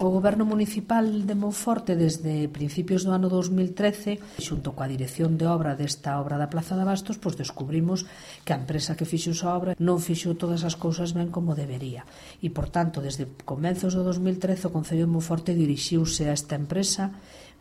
O Goberno Municipal de Monforte, desde principios do ano 2013, xunto coa dirección de obra desta obra da Plaza de Abastos, pois descubrimos que a empresa que fixo esa obra non fixo todas as cousas ben como debería. E, por tanto, desde comenzos do 2013, o Concello de Monforte dirixiuse a esta empresa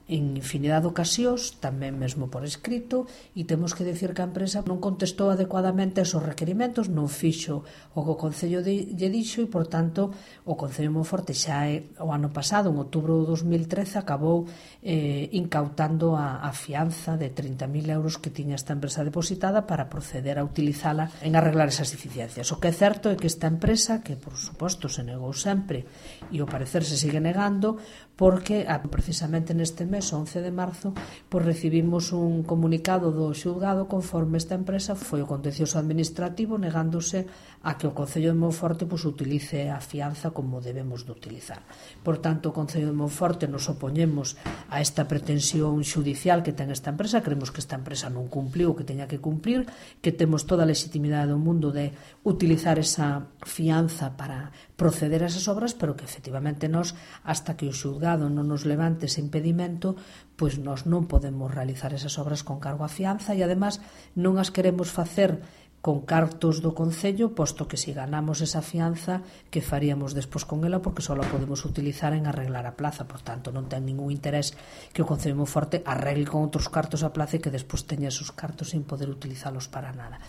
en infinidade de ocasións, tamén mesmo por escrito, e temos que dicir que a empresa non contestou adecuadamente aos requerimentos, non fixo o que o Concello lle dixo, e, por tanto, o Concello de Monforte xa o ano pasado, en outubro do 2013, acabou incautando a fianza de 30.000 euros que tiña esta empresa depositada para proceder a utilizala en arreglar esas deficiencias. O que é certo é que esta empresa, que por suposto se negou sempre e ao parecer se sigue negando, porque precisamente neste mes, 11 de marzo, pois recibimos un comunicado do xulgado conforme esta empresa foi o contencioso administrativo negándose a que o Concello de Monforte pois utilice a fianza como debemos de utilizar. Por tanto, o Concello de Monforte nos opoñemos a esta pretensión xudicial que ten esta empresa. Creemos que esta empresa non cumpliu o que teña que cumplir, que temos toda a legitimidade do mundo de utilizar esa fianza para proceder a esas obras, pero que efectivamente nós, hasta que o xulgado non nos levante ese impedimento, pois nós non podemos realizar esas obras con cargo a fianza, e además non as queremos facer con cartos do Concello, posto que se ganamos esa fianza, que faríamos despois con ela, porque só a podemos utilizar en arreglar a plaza. Por tanto, non ten ningún interés que o Concello de Monforte arregle con outros cartos a plaza e que despois teña esos cartos sin poder utilizalos para nada.